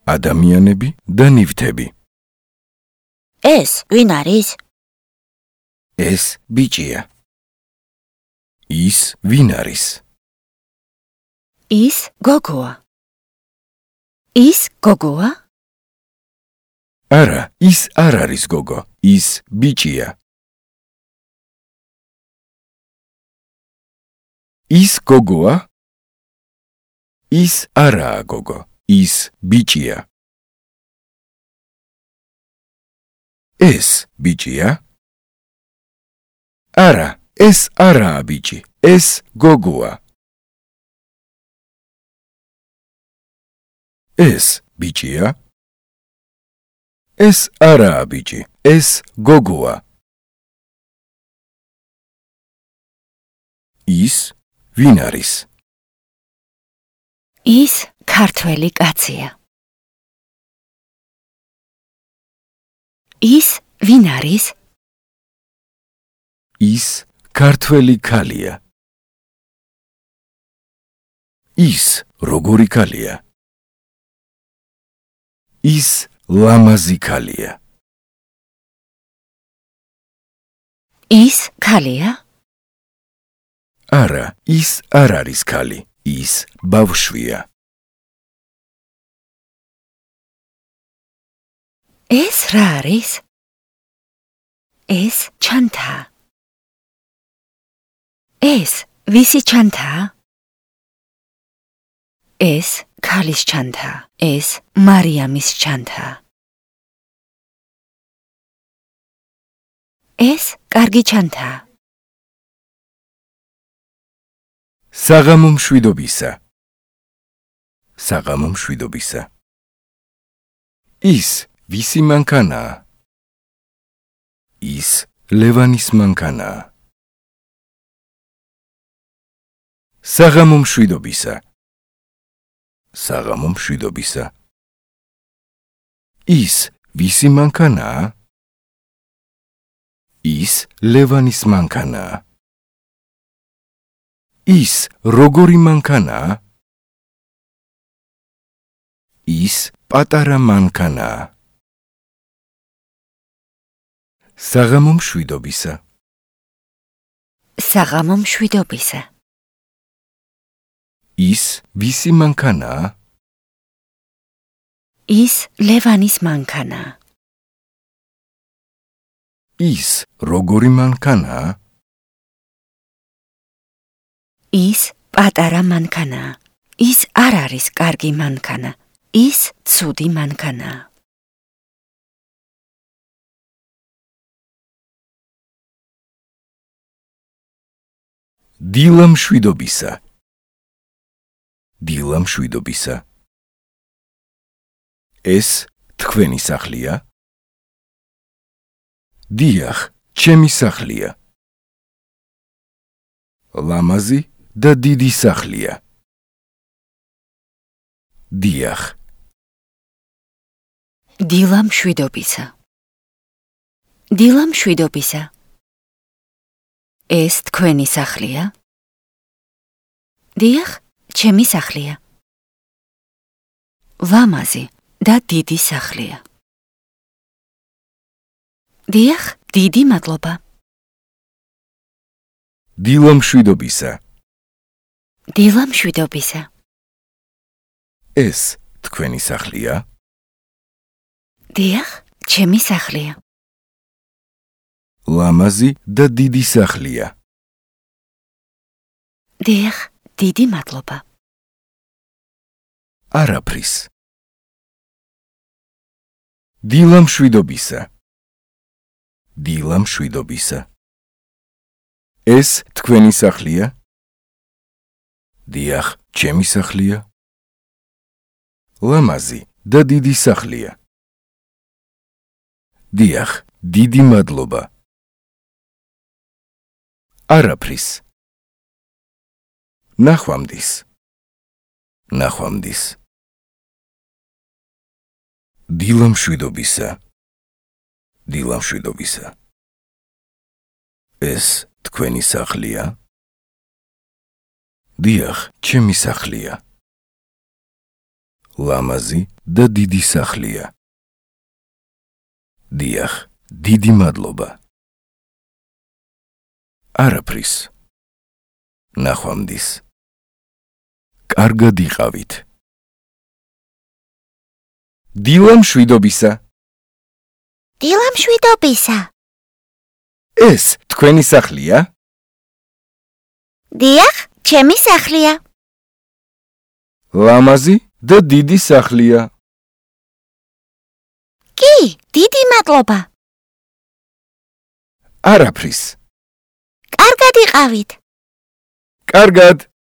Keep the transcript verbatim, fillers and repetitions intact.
ადამიანები და ნივთები. ეს ვინ არის? ეს ბიჭია. ის ვინ არის? ის გოგოა. ის გოგოა? არა, ის არ არის გოგო, ის ბიჭია. ის გოგოა? ის არაა გოგო, ის ბიჭია. ეს ბიჭია? არა, ეს არაა ბიჭი, ეს გოგოა. ეს ბიჭია? ეს არაა ბიჭი, ეს გოგოა. ის ვინ არის? ის ქართველი კაცია. ის ვინ არის? ის ქართველი ქალია. ის როგორი ქალია? ის ლამაზი ქალია. ის ქალია? არა, ის არ არის ქალი, ის ბავშვია. ეს რა არის? ეს ჩანთაა. ეს ვისი ჩანთაა? ეს ქალის ჩანთაა. ეს მარიამის ჩანთაა. ეს კარგი ჩანთაა. საღამო მშვიდობისა. საღამო მშვიდობისა. ის ვისი მანქანაა? ის ლევანის მანქანაა. საღამო მშვიდობისა. საღამო მშვიდობისა. ის ვისი მანქანაა? ის ლევანის მანქანაა. ის როგორი მანქანაა? ის პატარა მანქანაა. საღამო მშვიდობისა. საღამო მშვიდობისა. ის ვისი მანქანაა? ის ლევანის მანქანაა. ის როგორი მანქანაა? ის პატარა მანქანაა. ის არ არის კარგი მანქანა. ის ცუდი მანქანაა. დილა მშვიდობისა. დილა მშვიდობისა. ეს თქვენი სახლია? დიახ, ჩემი სახლია. ლამაზი და დიდი სახლია. დიახ. დილა მშვიდობისა. დილა მშვიდობისა. ეს თქვენი სახლია? დიახ, ჩემი სახლია. ლამაზი და დიდი სახლია. დიახ, დიდი მადლობა. დილა მშვიდობისა. დილა მშვიდობისა. ეს თქვენი სახლია? დიახ, ჩემი სახლია. ლამაზი და დიდი სახლია. დიახ, დიდი მადლობა. არაფრის. დილა მშვიდობისა. დილა მშვიდობისა. ეს თქვენი სახლია? დიახ, ჩემი სახლია. ლამაზი და დიდი სახლია. დიახ, დიდი მადლობა. არაფრის. ნახვამდის. ნახვამდის. დილა მშვიდობისა. დილა მშვიდობისა. ეს თქვენი სახლია? დიახ, ჩემი სახლია. ლამაზი და დიდი სახლია. დიახ, დიდი მადლობა. არაფრის. ნახვამდის. კარგად იყავით. დილა მშვიდობისა. დილა მშვიდობისა. ეს თქვენი სახლია? დიახ, ჩემი სახლია. ლამაზი და დიდი სახლია. კი, დიდი მადლობა. არაფრის. კარგად იყავით. კარგად.